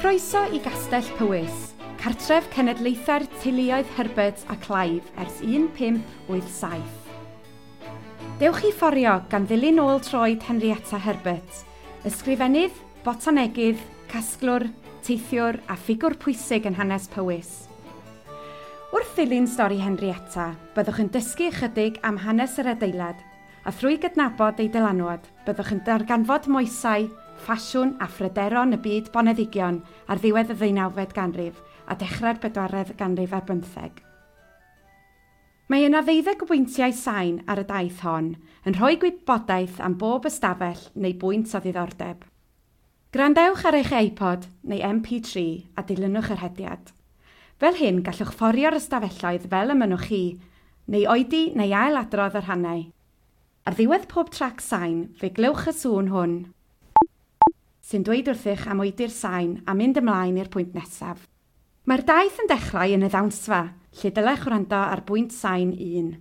Croeso i Gastell Powys, cartref cenedlaethau'r teuluoedd Herbert a Clive ers 1587. Dewch i fforio gan ddilyn ôl troed Henrietta Herbert, ysgrifennydd, botanegydd, casglwr, teithiwr a ffigwr pwysig yn hanes Powys. Wrth ddilyn stori Henrietta, byddwch yn dysgu ychydig am hanes yr adeilad, a thrwy gydnabod ei dylanwad, byddwch yn darganfod moesau, ffasiwn a phryderon y byd boneddigion ar ddiwedd y ddeunawfed ganrif a dechrau'r bedwaredd ganrif ar bymtheg. Mae yna 12 o bwyntiau sain ar y daith hon, yn rhoi gwybodaeth am bob ystafell neu bwynt o ddiddordeb. Gwrandewch ar eich iPod neu MP3 a dilynwch yr hediad. Fel hyn, gallwch fforio'r ystafelloedd fel y mynnwch chi, neu oedi neu ailadrodd y rhannau. Ar ddiwedd pob trac sain, fe glywch y sŵn hwn, sy'n dweud wrthych am oedi'r sain a mynd ymlaen i'r pwynt nesaf. Mae'r daith yn dechrau yn y ddawnsfa, lle dylech wrando ar bwynt sain 1.